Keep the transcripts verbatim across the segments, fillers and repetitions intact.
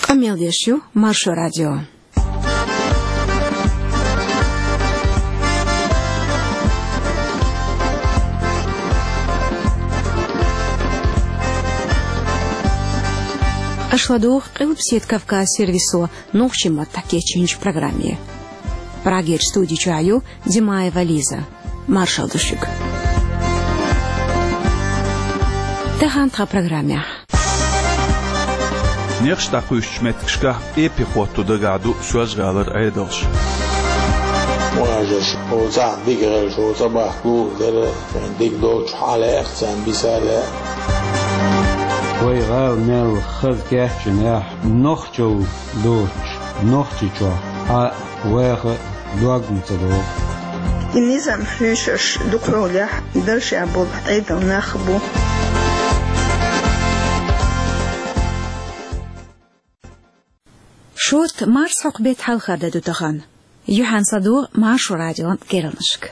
Къамел деш ю Маршо радио. Аша ладугӀу Къилбаседа Кавказ сервисо нохчийн маттахь кечйинчу программе. Прагерчу студи чохь ю Димаева Лиза. Маршалла ду шуьга. Тахана тхан программехь. Нехаш дӀакхуьйсучу меттигашкахь эппе хӀотто дагахь ду Соьлжа-ГӀалара Ӏедалш. Важаш, оцахь дика гӀелаш, оцу бахка лур дара, шайн дика долчу хьалаэха царна бисале. Вай гӀала мел хаза кечйинехь, нохчалла доцуш, Нохчийчохь хьан ваха дог ма ца догӀу. И низам хьуьйсуш дукхахьолехь даржехь болу Ӏедал нах бу. Шорта марсхьокху беттан хьалхара де ду тахана. Юьхьанца ладугӀу Маршо радион керланашка.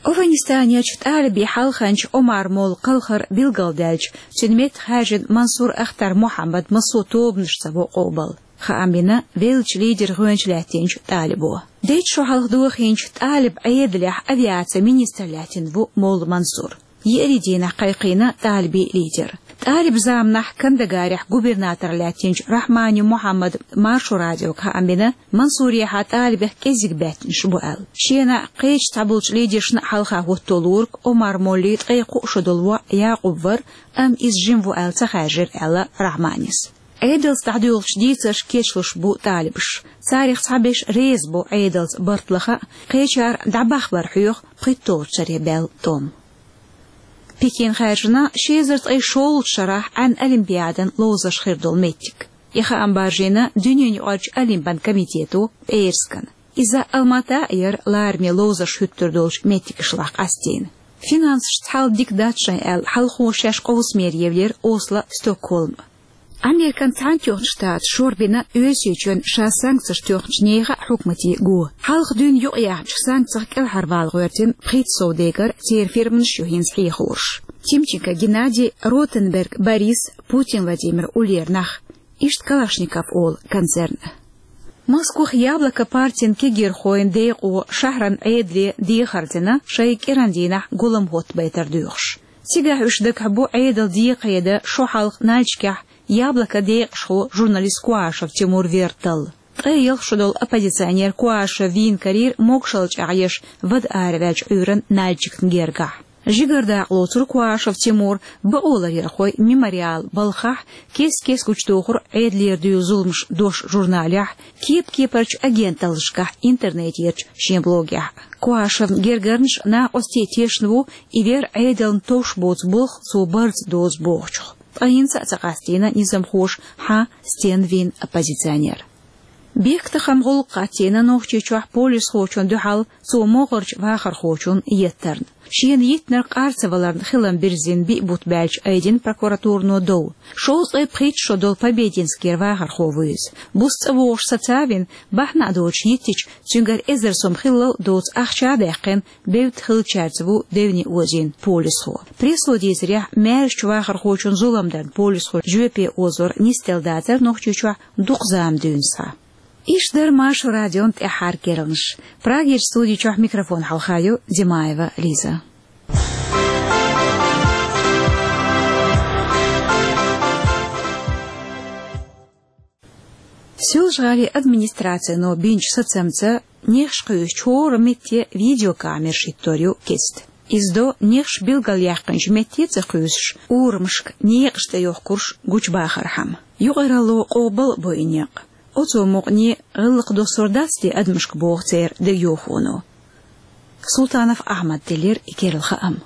Афганистанерчу талибийн хьалханча Омар-моллан кхалхар билгалдаьлча, цуьнан метта хаьржина Мансур Ахтар Мухьаммад массо а тобанашца во къобал. Хаам бина веллачу лидеран гӀоьнча лаьттинчу талибо. Дейтта шо хьалха дохийначу талиб Ӏедалехь авиацин министр лаьттина ву молла Мансур. Еарин дийнахь кхайкхийна талибийн лидер. Талиб заманахь Кандагарехь губернатор лаьттинчу Рахмани Мухьаммада Маршо радиога хаам бина, Мансурехьа талибех кӀеззиг баьттанаш бу аьлла. Шена а, кхечу цхьаболчу лидершна а хьалха хӀотто луург Омар-моллин ткъе кхо шо долу воӀ Якъуб вара, амма иза жима ву аьлла ца хаьржира, аьлла Рахманис. Ӏедалца дӀадуьйгӀучу дийцаршка кечлуш бу талибаш. Царах цхьаберш реза бу Ӏедалца барт лаха а, кхечара дӀабахбар хьоьху пхийтталгӀачу шаре баьлла тӀом. Пекин хаьржина ши эзар ткъе шолгӀачу шарахь Ӏаьнан олимпиадан ловзарш хир долу меттиг. И хаам баржийна дуьненаюкъарчу олимпан комитето пӀераскан. Иза Алмата а яра лараме ловзарш хӀуьттур долчу меттигашлахь къастийна. Финансашца хьал дика дац шайн аьлла, хьалхо шаьш къовсамера евлира Осло, Стокгольм. Американ Цхьаьнатоьхначу Штаташа шорбина Оьрсийчоьнна ша санкцеш тоьхначу нехан а хьукмате го. Хьалха дуьйна юкъаяьхначу санкцех кӀелхьарвала гӀоьртина пхийтта сов декъара церан фирманаш ю хӀинца хьехораш. Тимченко Геннадий, Ротенберг Борис, Путин Владимир уллера нах. Иштта Калашников олу концерн. Москвахь Яблоко партин кегийрхойн декъо шахьаран Ӏедале дехар дина, шайн кӀиран дийнахь гулам хӀоттабайтар доьхуш. Цигахь уьш дагахь бу Ӏедалан декхаеда шо хьалха Нальчикехь Яблоко декъашхо журналист Куашев Тимур вер талла. Ткъе ялх шо долу оппозиционер Куашев вийна карийра могушалла чӀагӀъеш вада араваьллачу Ӏуьйранна Нальчикна гергахь. Жигара дакъа лоцура Куашев Тимур бакъоларъярхойн «Мемориал» балхахь, кест-кеста гучудохура Ӏедалера дуьйла зуламаш дош журналехь, кеп-кепарчу агенталлашкахь, интернетерчу шен блогехь. Куашевн гергарнаш накъостий тешна ву и вер Ӏедална товш боцу болх цо барца дозу бохучух. Ткъа хӀинца а ца къастийна низамхоша хьан стенна вийна оппозиционер. Бехктакхаман гӀуллакх хӀоттийна Нохчийчохь полисхочунна дуьхьал цо могӀарчу вахархочунна еттарна. Шена йиттинарг къар ца валарна хилам бирзина биъ бутт баьлча айдина прокуратуро дов. Шовзткъе пхийтта шо долу Побединскера вахархо ву иза. Буса цӀа вогӀуш сацавина, бахьана а доцуш йиттича, цуьнгара эзар сом хиллал доцу ахча а даьккхина, бевдда хиллачаьрца ву девне озийна полисхо. Прессо дийцарехь, маьршачу вахархочунна зулам дарна полисхоша жоьпе озор нисделла дацара Нохчийчохь дукха зама дуьйна схьа. Иштта дара Маршо радион тӀаьххьара керланаш. Прагерчу студи чохь микрофон хьалха ю Димаева Лиза. Соьлжа-ГӀалин администрацино бинчу сацамца нехаш кхуьйсучу хӀора метте видеокамераш хӀиттор ю кеста. Иза до нехаш билгалъяьккхинчу метте а ца кхуьйсуш, урамашка некъаш тӀе йохкурш гучубахархьама. Юкъаралло къобал а бо и некъ. Оцу мукъане гӀиллакх доссор дац те адамашка, боху церан дегайовхоно. Султанов Ахьмада делира и керла хаам.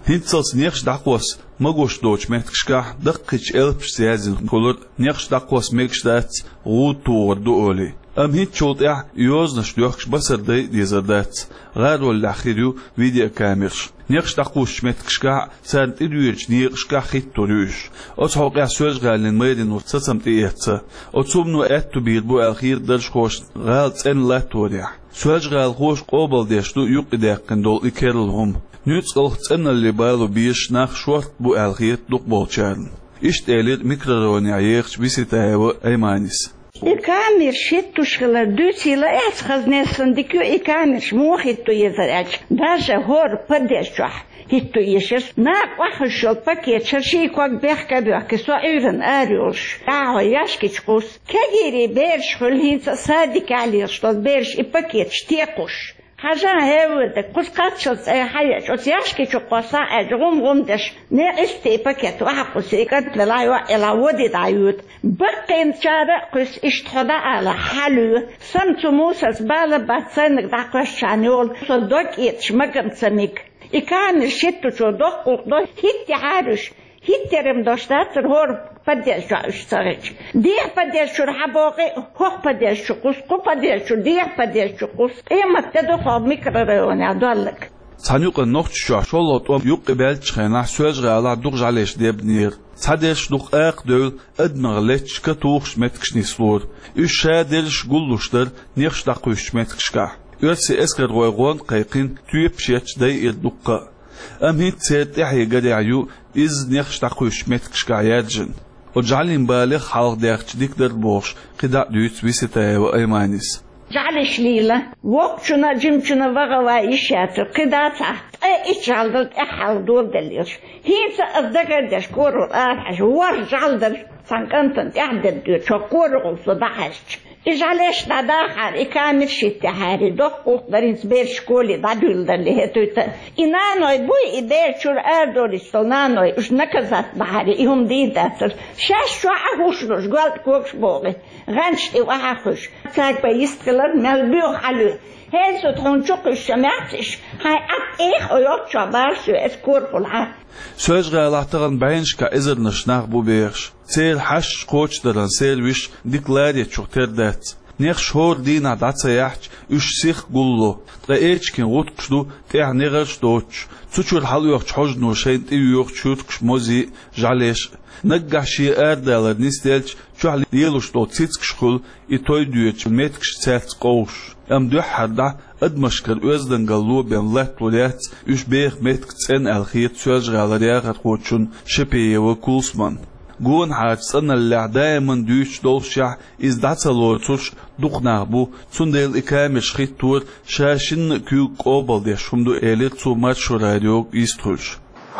ХӀинццалц нехаш дӀакхосса магош доцучу меттигашкахь даккхийчу элпашца яздина хуьлура, нехаш дӀакхосса мегаш дац, гӀуда тухур ду олий. Амма хӀинцачул тӀаьхьа йозанаш доьхкуш басар дай а дезар дац, гӀароллехь хир ю видеокамераш. Нехаш дӀакхуссучу меттигашкахь а, царна тӀедоьдучу некъашкахь а хӀиттор ю уьш. Оцу хьокъехь Соьлжа-ГӀалин мэрино сацам тӀеэцна. Оцу хӀумано аьтто бийр бу аьлла хета даржхошна гӀала цӀена латторехь. Соьлжа-ГӀалахоша къобалдеш ду юккъе даьккхина долу и керла хӀума. Нуьцкъалх цӀеналле бало безаш нах шорта бу аьлла хета дукхахболчарна. Иштта элира микрорайонехь ехачу Виситаева Айманис. И камераш хӀиттош хилар дуьйцийла, эцхаза нессан дика ю, и камераш муха хӀитто езар аьлча, даже хӀора подъезд чохь хӀитто езаш. Накха охьахуьйсуш йолу пакеташ шайн ког бехк а боьхкий, со Ӏуьйранна ара йолуш, дӀахьо яьшкичу кхуссу. Кегийрийн бераш хуьлу хӀинца а садикехь лелаш долу бераш и пакеташ текхуш. Хьажа, хӀевварг, кхуза кхаччалц айхьа а еш, оцу яьшки чу кхосса а аьлча, гӀум-гӀум деш, некъ истий пакет охьакхуссу, и кӀант лелахь, йоӀ елахь, води дӀайоьду. Баккхийчара а кхуьссу, иштта хьо дӀаала, хьалуьйла. Сан цу мусарца бала бац, сайниг дӀакхоьссича йолу, со дог этӀаш магам ца мега. И камераш хӀитточо доккха гӀуллакх до, хӀиттахьара уьш. ХӀиттарам дош дацара хӀора подъезд чохь уьш ца хилча. Дехьа подъезд чуьра хьабогӀий, хӀокху подъезд чу кхуссу, кху подъезд чуьра дехьа подъезд чу кхуссу. Къемат де ду хӀокху микрорайонехь долларг. Цхьана юкъана Нохчийчохь шолгӀа тӀом юккъе баьллачу хенахь соьлжа-гӀалахь дукха жӀалеш дебнера. Цхьадерш дукха акха девлла, адамех летташ катухуш меттигаш нислора. Уьш шадерриш гуллуш дара нехаш дӀакхуьйсучу меттигашкахь. Оьрсийн эскархой гӀонда кхайкхина тоьпаш етташ дайира дуккха а. Амма хӀинца церан тӀаьхье гарехь ю иза нехаш дӀакхуьйсучу меттигашкахь яьржина. Оцу жӀалийн балех хьалха даьхча дика дара бохуш, кхидӀа а дуьйцу Виситаева Айманис. ЖӀалеш лийла, воккхачунна а, жимачунна а ваха а ван йиш яцара, кхидӀа а цхьа ткъе итт жӀаьла дара тӀаьххьара доладелла йолуш. ХӀинца а аса дагардеш, корахула арахьаьжча, ворхӀ жӀаьла дара цхьана кӀантана тӀаьхьа дерг доьдуш, хӀокху корахула со дӀахьаьжча. И жӀалеш дӀадахьара, и камераш хӀиттахьара, доккха гӀуллакх дара хӀинца бераш школе дӀадуьйладалле хӀетуьйта. И наной буй, и бер чуьра арадолуьйтуш долу наной, уьш наказать бахьара, и хӀума дийр дацара. Шаьш чохь а хӀуш луш, гоьлда когаш богӀий, гӀанташ тӀе охьахуьйш. Цаьрга бен йист хилар, мел боьха хьалуьйла. ХӀинца тхуна чу кхуьссуш ца моьтту уьш, хьайн Ӏад тӀех а йолччохь бара соь, аса корахула хьан. Соьлжа-ГӀалахь тахана бӀеннашкахь эзарнаш нах бу бехаш. Церан хьашташ кхочушдаран сервисаш дика ларъечух тера дац. Нехаш хӀора дийнахь дӀа ца яьхьча, уьш сиха гулло. Ткъа эчиган гӀутакхаш ду тӀехь негӀарш а доцуш, цу чуьра хьалаоьхучу хьожано шайна тӀеоьхучу хӀуьркаш, мозий а, жӀалеш а. Наггахь шен арадалар нисделча, чохь лелош долу цицигаш хуьлу и той доьдучу меттигаш цаьрца къовсуш. Амма дуьххьара дӀа адамашкара оьздангалло бен латталур яц уьш беха меттиг цӀена аьлла хета Соьлжа-ГӀалара яхархочунна Шапиева Кулсумна. Гонахьарчу цӀаналлехь даиман дуьйцуш доллушехь, иза дӀа ца лоцурш дукха нах бу, цундела и камераш хӀиттор ша шинна а куьйга къобалдеш хӀума ду, элира цо Маршо радиога йистхуьлуш.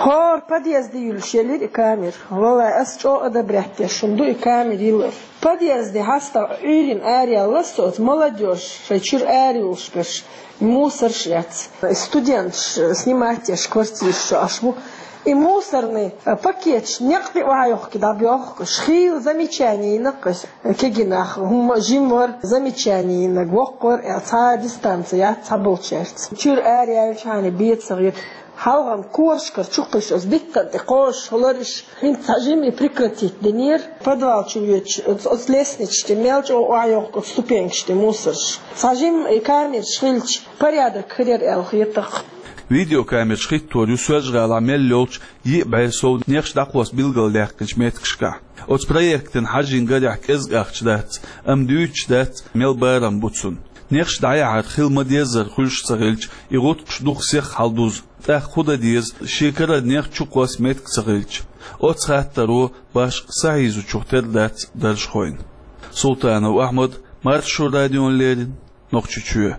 ХӀора подъезде юьллуш елира и камера. Валлай, ас чӀогӀа одобрять деш хӀума ду и камера йиллар. Подъезде хьастагӀа Ӏуьйранна араяьлла со оцу молодёжь, шайн чуьра арайолуш берш, мусорш эцна. Студенташ снимать еш квартираш чу Ӏаш бу. И мусорный пакеташ некъ тӀе охьайохкий дӀабоьхку уьш. Хийла замечание йинарг уьш. Кегий нах, хӀума жима вара, замечание йинарг воккха вара, э, цхьа дистанци яц цхьаболчаьрца. Чуьра араяьлчхьана бен ца хета. Хьалхана корашкара чу кхуьссуш, оцу биттана тӀе кхозуш хилар уьш. ХӀинца цхьа жима и прекратить динера. Подвал чу воьдуш, оцу, оцу лестницаш тӀе мел чӀогӀа охьайохку, оцу ступенькаш тӀе мусорш. Цхьа жима и камераш хилча, порядок хир яра аьлла хета-кх. Видеокамераш хӀиттор ю Соьлжа-ГӀалахь мел йолчу йиъ бӀе сов нехаш дӀакхосса билгалдаьккхинчу меттигашкахь. Оцу проектана хьажийна гарехь кӀезиг ахча дац, амма дуьйцуш дац, мел барам бу цунна. Нехаш дӀаяхьар хила ма-деззара хуьлуш ца хилча, и гӀутакхаш дукха сиха хьалдузу. ТӀаккха хӀун дан деза, шен карара нех чу кхосса меттиг ца хилча? Оцу хаттаро башха сахьийзучух тера дац даржхойн. Султанов Ахьмад, Маршо радиона леррина, Нохчийчоь.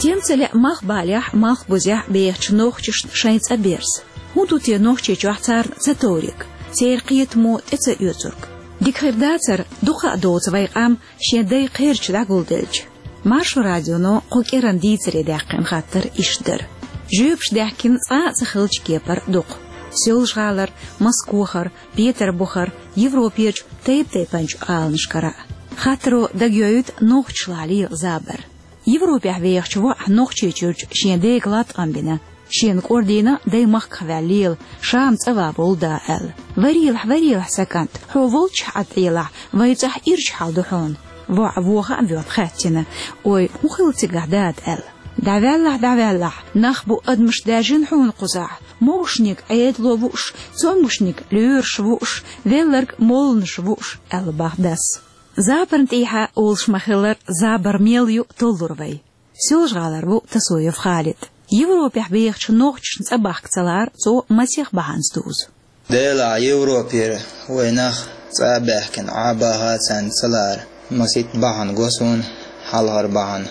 Стенца лаьа малхбалехь, малхбузехь бехачу нохчашна шайн цӀа берза? ХӀун ду те Нохчийчохь царна ца товриг, церан кхетамо тӀе ца оьцург? Дика хир дацара, дукха а доцу вайн къам шен дай кхерча дӀагулделча. Маршо радионо кху кӀиранан дийцаре даьккхина хаттар иштта дара. Жоьпаш даьхкина цкъа а ца хиллачу кепара дукха. Соьлжа-ГӀалара, Москвахара, Петарбухара, Европерчу тайп-тайпанчу аланашкара а. Хаттаро дагайоуьйту нохчашлахь лела забар. Европехь вехачу воӀа Нохчийчуьрчу шен дега латкъам бина, шена кӀордийна дай махках ваьлла лела, ша-м цӀа ван волу да аьлла. Варелахь, варелахь, сан кӀант, хьо волччохь Ӏад Ӏелахь, вайн цӀахь ирча хьал ду хьуна. ВоӀ воха а воьлла хаьттина: «Ой, хӀун хилла цигахь, дада?» — аьлла. «ДӀаваьллахь, дӀаваьллахь, нах бу адамаш даьржина хьуна кхузахь. Могушниг Ӏедало вууш, цомгушниг лоьраша вууш, велларг молланаша вууш», — аьлла бах дас. Забарна тӀехьа олуш ма-хиллара, забар мел ю толлур вай. Соьлжа-ГӀалара ву Тасоев Халид. Европехь бехачу нохчашна цӀа бахка ца лаар цо масех бахьанца дузу. Делахь Европера вай нах цӀа а баьхкина Ӏа баха а царна ца лаар, масийтта бахьана го суна. Хьалхара бахьана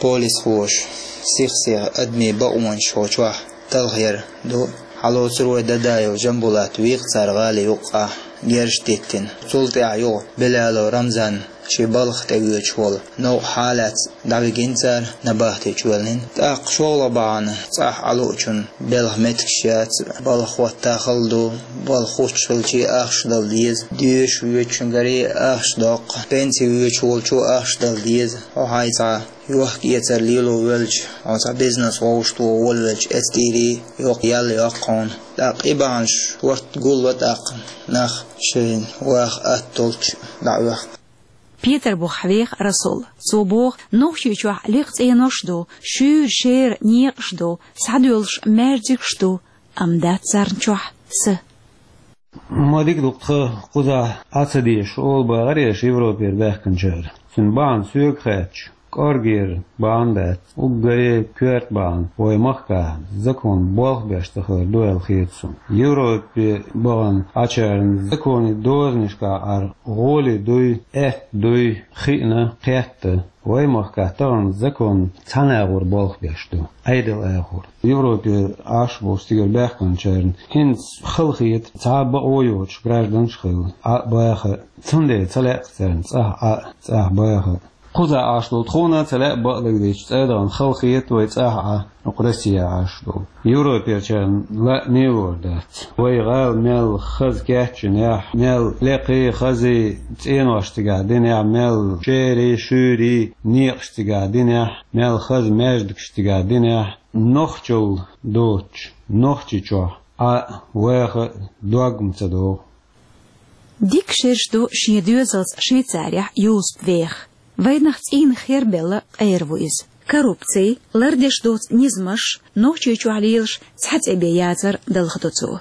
полисхоша сих-сиха адамийн бакъонаш хьо чохь талхаяр ду. Хьалоцур вай Дадаев Жамбулат вийкъ цара гӀали юккъахь герз диттина. Цул тӀаьхьа юха Белялов Рамзан шен балха тӀе воьдуш волу новкъа хьалаца дӀавигина цара, набахти чу ваьллина. ТӀаккха шолгӀа бахьана цӀахь Ӏалуучун белхан меттигаш яц, балха хӀотта хала ду, балха хуттуш хилча ахча дала деза, доьшуш воьдучуьнгаре ахча доккху, пенси воьдуш волчо ахча дала деза, хьо хьайн цхьа йохк-эцар лело велча, хьо цхьа бизнес вовшахтоха волавелча, эцтӀийра йоккха ял йоккху хьуна. ТӀаккха и бахьанаш хӀотта гулло тӀаккха нах шайна ваха атта долчу дӀаоьхку. Петарбухахь веха Расул. Цо боху, Нохчийчохь лекха цӀенош а ду, шуьйра шера некъаш а ду, схьадоьлхуш маьждигаш а ду, амма дац царна чохь са. Ма дика ду-кх тхан кхузахь Ӏа ца дезаш, олу бахара аш Европера баьхкинчара. Цуьнан бахьана соьга хаьттича, кӀоргера бахьана дац, уггаре коьрта бахьана вай махкахь закон болх беш ца хилар ду аьлла хета суна. Европе бахана Ӏачарна законе дозанашкахь Ӏар гӀоли дуй, аьтта дуй, хиъна, кхетта. Вай махкахь тахана закон цхьана агӀор болх беш ду, Ӏедал агӀор. Европе Ӏаш болчу цигара баьхкинчарна хӀинца хала хета цхьа а бакъо йоцуш гражданаш а хила, Ӏа а баха а. Цундела ца лаьа-кх царна цӀахь Ӏа а, цӀахь баха а. Кхузахь Ӏаш долу тхуна а ца лаьа бакъдерг дийцича, цӀа а дахана хала хета вай цӀахь Ӏа, хӀокху Россехь Ӏаш долу. Европерчарна лаамехь лор дац. Вай гӀала мел хаза кечйинехь, мел лекхий, хазий цӀенош цигахь динехь, мел шерий, шуьйрий некъаш цигахь динехь, мел хаза маьждигаш цигахь динехь, нохчалла доцуш, Нохчийчохь Ӏа а, ваха а дог-м ца догӀу. Дика шераш ду шен доьзалца Швейцарехь Юсуп веха. Вайнах цӀийнах хербелла къера ву иза. Коррупци, лардеш доцу низамаш, Нохчийчохь лелаш цхьа цӀе бен яцар далхадо цо.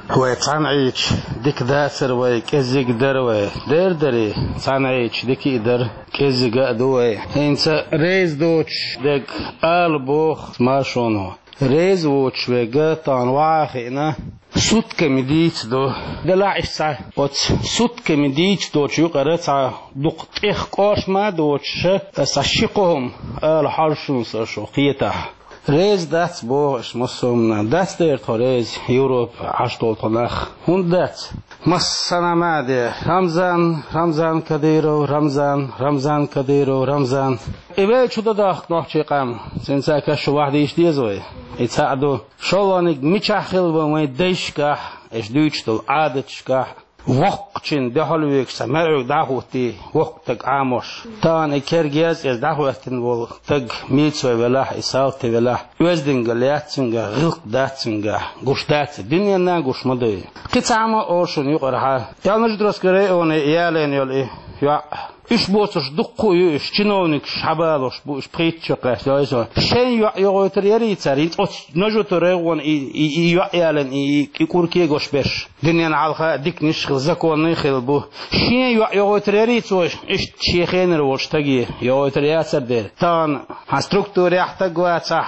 Вай цхьаьна Ӏийча дика дацара вай, кӀеззиг дара вай. Дера дарий, цхьаьна Ӏийча дика а дара, кӀеззига а ду вай. ХӀинца реза доцуш дерг ала боху машоно. Реза воцуш верг тахана ваха а хиъна, сутками дийца ду. Делахь иштта цхьа оцу сутками дийца долчу юкъара цхьа дукха тӀех кӀоршма а доцуша, аса ши кхо хӀума ала хьожуш ву со шу кхетахь. Реза дац боху аша массо а хӀуманна. Дац дера тхо реза, Европа Ӏаш долу тхо нах. ХӀунда дац? Массанхьа ма де, Рамзан, Рамзан Кадыров, Рамзан, Рамзан Кадыров, Рамзан. И вай чу дан дахка нохчий къам, цуьнца каш шу вахдийша деза вай. И цхьаъ ду. ШолгӀаниг мичахь хилла вайн дайшкахь, аша дуьйцуш долу Ӏадаташкахь, воккхачун дуьхьал вегаш сан маьрӀуьг дӀахӀуттий, воккха стаг Ӏамош. Тахана и кергез иза дӀахӀоьттина волу стаг мийцо велахь, и салти велахь, оьздангалла яц цуьнгахь, гӀиллакх дац цуьнгахь, гуш дац, дуьненна гуш ма дуй. Кхин цхьа хӀума олу шуна юкъархьа. Ялнаждроска районе ялийна йолу и йоӀ. Уьш боцурш дуккха а ю, уьш чиновникаш хьабалош бу, уьш пхийтта чу кхаьчна йо иза. Шайн йоӀ йогӀуьйтур ярий цара, хӀинца оцу Нажуто районе и, и, и йоӀ ялийна, и, и, и кӀур кегош берш. Дуьненна хьалха а диканиш а хилла, законный а хилла бу. Шен йоӀ йогӀуьйтур ярий цо, иштта шен хенара волчу стаге йогӀуьйтур яцар дера. Тахана хьан структурехь стаг вацахь,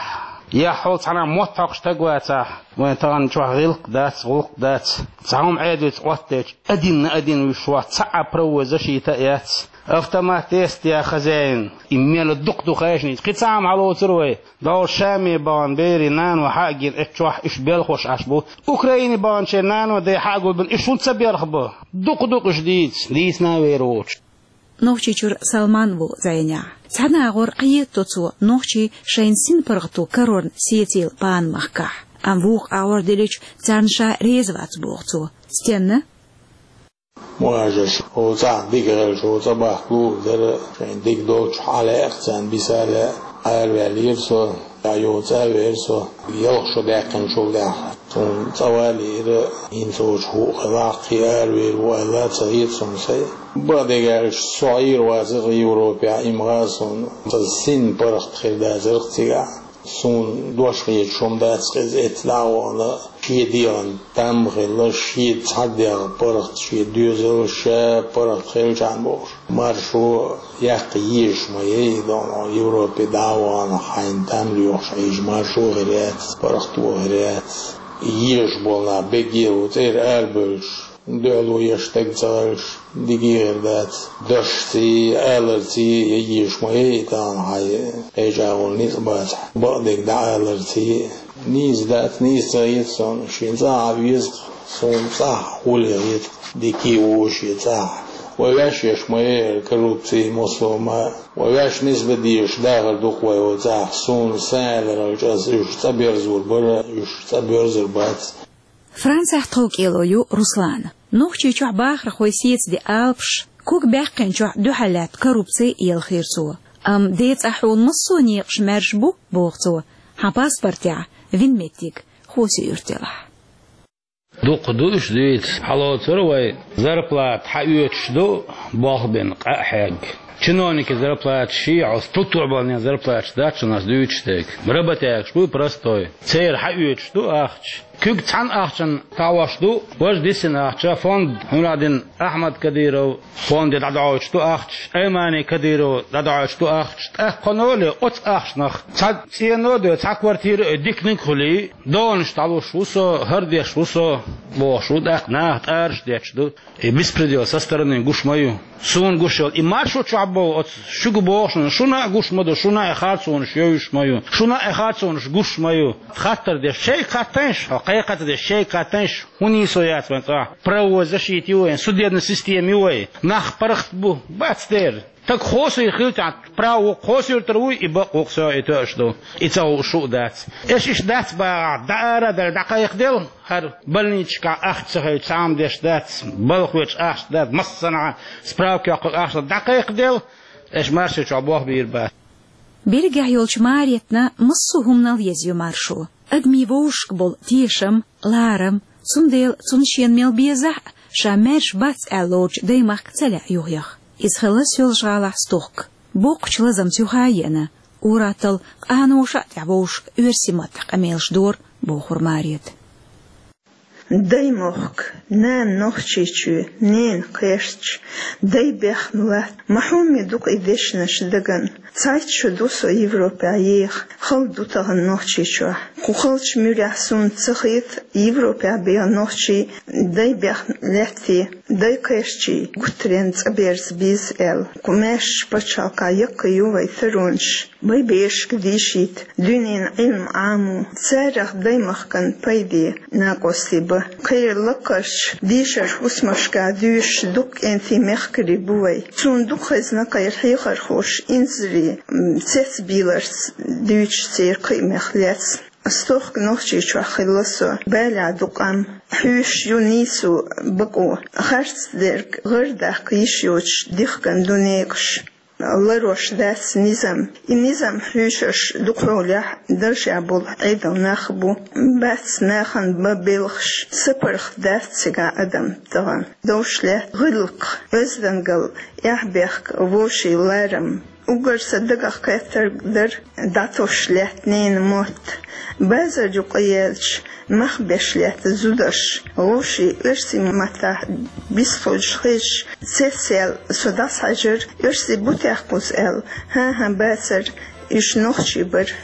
я хьол цхьана мотт хьокхуш стаг вацахь, вайн тахана чохь гӀиллакх дац, гӀуллакх дац. Цхьа хӀума Ӏедалца Ӏоттадечу, один на один вуьш вац, цхьа а правовой защита а яц. Автомат тестя хозяин, и мел дукха ду хайшница. Кхин цхьа хӀума хьалоцур вай. ДогӀу Шаме бахана берийн нано хьа а гина, эцу чохь уьш белхош Ӏаш бу. Украине баханчеран нано ден хьа а гулбина, уьш хӀунда ца белха бу? Дукха-дукха уьш дийца, дийцина а вер воцуш. Нохчийчуьра Салман ву зӀенехь. Цхьана агӀор кхетадо цо нохчий шайна синпаргӀато карорна сецийла бахана махкахь. Амма вукху агӀор делича, царна ша реза вац боху цо. Стенна? Важаш, хӀо цӀахь дика гӀелча, хӀо цӀа бахка лур дара, шайн дика долчу хьалаэкъ царна биса лаьа, араваьллера со, я йоцу а вера со, ялх шо даьккхинчул тӀаьхьа. Суна цӀа валийра, хӀинца оцу хӀуъа хилахь, кхин аравер ву аьлла, ца хета суна сай. Бакъдерг аьлча, со Ӏийр вацара Европехь, имгӀа суна, ца син паргӀат хир дацара цигахь. Суна дош хеташ хӀума дац хеза эцца дӀа а вахана, шен дегӀан там хилла, шен цхьа дегӀ паргӀат, шен доьзал ша паргӀат хилча бохуш. Маршо яккха езаш ма яй, дона Европе дӀа а вахана, хьайна там лоьхуш Ӏийжа маршо хир яц, паргӀато хир яц. Езаш болу нах бегге а ву цӀера арабевллаш. Дуьхьало еш стаг ца хилча, дика хир дац. Дашций, аларций, я езаш ма яй, тахана хьайн кхечӀагӀолла ницкъ бацахь, бакъдерг дӀааларций. Нийса дац, нийса ца хета суна, шен цӀахь а веза-кх, суна цӀахь а хӀалле хета-кх, дика а ву шен цӀахь. Вай ваьш еш ма яй коррупци, массо а ма. Вай ваьш нисбан дезаш дахар ду-кх вай оцу цӀахь, суна сан аьлларалча аса уьш цӀа берзор бара, уьш цӀа боьрзур бац. Францехь тховкӀело ю Руслана. Нохчийчохь бахархой сецаде алапаш, ког баьккхинчохь дуьхьал лаьтта коррупци елхийра цо. Амма ден цӀахь хьуна массо а некъаш маьрша бу, боху цо, хьан паспортехь вина меттиг Хьосе-Юьрта елахь. Дукха ду уьш дийца. Хьалоцура вай, зарплата хьаоьцуш ду, болх бина къа а хьегна. Чиновникийн зарплаташ ши хьо, структурабалнийн зарплаташ дац шуна ас дуьйцуш дерг. Работягаш бу простой. Церан хьаоьцуш ду ахча. Куьг цхьана ахчанна товш ду, важа дисина ахча, фонд, хӀун дина, Ахьмад Кадыров фонде дӀадоуьйтуш ду ахча, Аймани Кадыров дӀадоуьйтуш ду ахча, тӀаккха кхуьнан оцу ахчанах цхьа цӀено а дой, цхьа квартира а диканиг а хуьлий, донаш дӀалуш ву со, хӀара деш ву со, бохуш ву, тӀаккха наха тӀараш детташ ду. И беспредел со стороны гуш ма ю. Суна гуш йолу и маршо чохь боху оцу шуьга боху шуна, шуна а гуш ма ду, шуна а харцонаш йовзуш ма ю, шуна а харцонаш гуш ма ю. Хаттар деш шайга хаттайша, хьо кхайкхаца деш шайга хаттайша, хӀун нийсо яц вайн цӀахь? Правовой защита ю вайн, судебная система ю вайн, нах паргӀат бу, бац дера. Стаг Хьосе-Юьрта хилча, право Хьосе-Юьртара вуй, и бакъ ву-кх со и тоьаш ду, и ца хууш шу а дац. Аша иштта дац бахахь, дӀаара а даьлла, дӀакхайкхаделла. ХӀара больницашкахь ахча ца хилча, цхьа а хӀума деш дац, балха хьоьжуш ахча дац, массанхьа справка йоккхург ахча дац, дӀакхайкхаделла, аша маршо чохь болх бийр бац. Берригехь йолчу Маретна массо а хӀуманал еза ю маршо. Адамийн вовшашка болу тешам, ларам, цундела цунна шена мел безахь а, ша маьрша бац аьлла лоруш даймахка ца лаьа юхаяха. Иза хилла Соьлжа-ГӀалахь стохка. Боккхачу лазамца юха а еана, ур-атталла къаноша а тӀехь вовшашка оьрсийн маттахь къамелаш дора, бохура Марета. Даймохк, нана Нохчийчоь, ненан кхерчаш, дай бехна латта, ма хьоме ду-кх и дешнаш дагна. Цхьайтта шо ду со Европехь еха, хала ду тахана Нохчийчохь. Кху халчу муьрехь суна ца хета Европехь беха нохчий дай бехна лаьттий, дай кхерчий гуттаренна цӀа берза беза аьлла. Кху маьршачу пачхьалкхехь яккхий ю вайн таронаш. Вайн берашка дийшийта, дуьненан Ӏилма Ӏамо, царах даймахкана пайде накъостий бан. Кхеран лакхарчу дийшаран хӀусамашкахь дуьйшуш дуккха кӀентий мехкарий бу вайн. Суна дукха хезна кхеран хьехархоша инзаре, м, цецбийларца дуьйцуш церан кхиамех лаьцна. Стохка Нохчийчохь хилла со, балехь ду къам. Хьуьйсуш ю нийсо, бакъо, харц дерг гӀардаккха йиш йоцуш дихкина ду некъаш. Ларош дац низам. И низам хьуьйсуш дукха хьолехь даржехь болу Ӏедалан нах бу. Бац нахана бан белхаш, сапаргӀат дац цигахь адам тахана. Довш лаьтта гӀиллакх, оьздангалла, эхь-бехк, вовшийн ларам. Уггар сан дагах кхеттарг дара, дӀатосуш лаьтта ненан мотт. Базар юкъа яьлча, мах беш лаьтта зударш, вовшийн оьрсийн маттахь бисхуьлуш хезаш, цецъяьлла со дӀасахьаьжира, оьрсий бу техкъа кхуза аьлла. ХӀан-хӀа, бацара, уьш нохчий бара.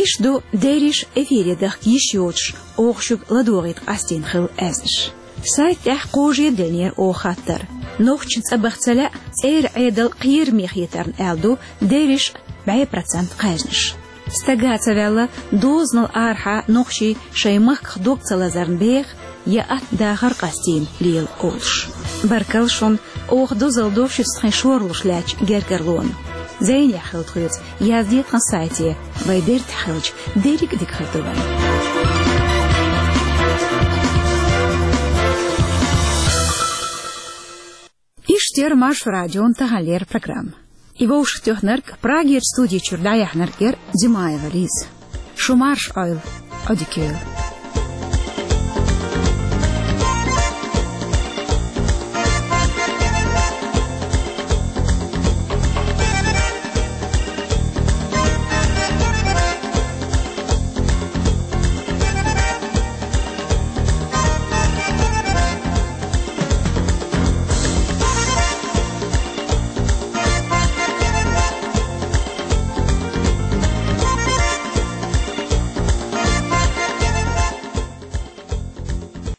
Иштта ду дерриш эфире дахка йиш йоцуш, оха шуьга ладогӀийта къастийна хилла аьзнаш. Сайта тӀехь кхожа а деллера оха хаттар. Нохчашна цӀа баха ца лаьа цӀера Ӏедал кхераме хетарна аьлла ду дерриш бӀе процент кхаьжнаш. Стага ца ваьлла, дозанал арахьа нохчий шайн махках дог ца лазарна беха я атта дахар къастийна лела олуш. Баркалла шуна, оха дозалла до шуьца тхайн шорлуш лаьттачу гергарлонна. Зайнехь хила тхоьца, яздо тхан сайте, вай дерриг тӀехь хилча, дерриг а дика хир ду вайн. Иштта яра Маршо радион таханлера программа. И вовшахтоьхнарг, Прагерчу студи чуьра дӀаяьхьнарг яра Димаева Лиза. Шу марша Ӏойла, Ӏодика йойла.